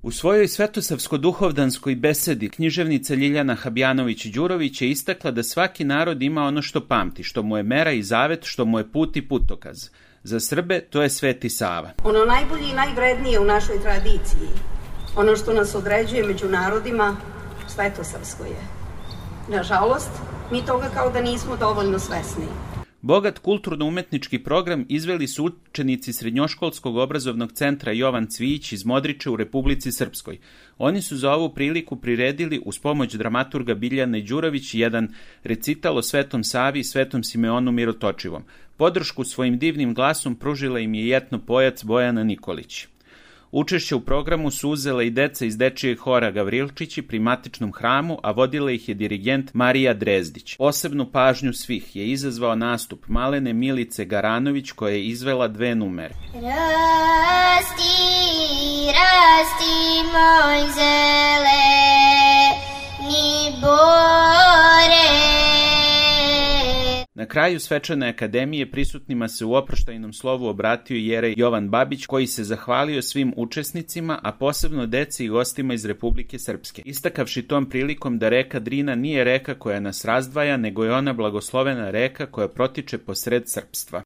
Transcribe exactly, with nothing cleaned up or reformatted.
U svojoj svetosavsko-duhovdanskoj besedi književnica Ljiljana Habjanović-Đurović je istakla da svaki narod ima ono što pamti, što mu je mera i zavet, što mu je put i putokaz. Za Srbe to je Sveti Sava. Ono najbolje i najvrednije u našoj tradiciji, ono što nas određuje među narodima, svetosavsko je. Nažalost, mi toga kao da nismo dovoljno svesni. Bogat kulturno-umetnički program izveli su učenici Srednjoškolskog obrazovnog centra Jovan Cvijić iz Modriče u Republici Srpskoj. Oni su za ovu priliku priredili uz pomoć dramaturga Biljane Đurović jedan recital o Svetom Savi i Svetom Simeonu Mirotočivom. Podršku svojim divnim glasom pružila im je jetno pojac Bojana Nikolić. Učešće u programu su uzela i deca iz dečijeg hora Gavrilčići pri matičnom hramu, a vodila ih je dirigent Marija Drezdić. Posebnu pažnju svih je izazvao nastup malene Milice Garanović koja je izvela dve numere. Rasti, rasti moj zeleni bore. Na kraju svečane akademije prisutnima se u oproštajnom slovu obratio jerej Jovan Babić, koji se zahvalio svim učesnicima, a posebno deci i gostima iz Republike Srpske, istakavši tom prilikom da reka Drina nije reka koja nas razdvaja, nego je ona blagoslovena reka koja protiče posred srpstva.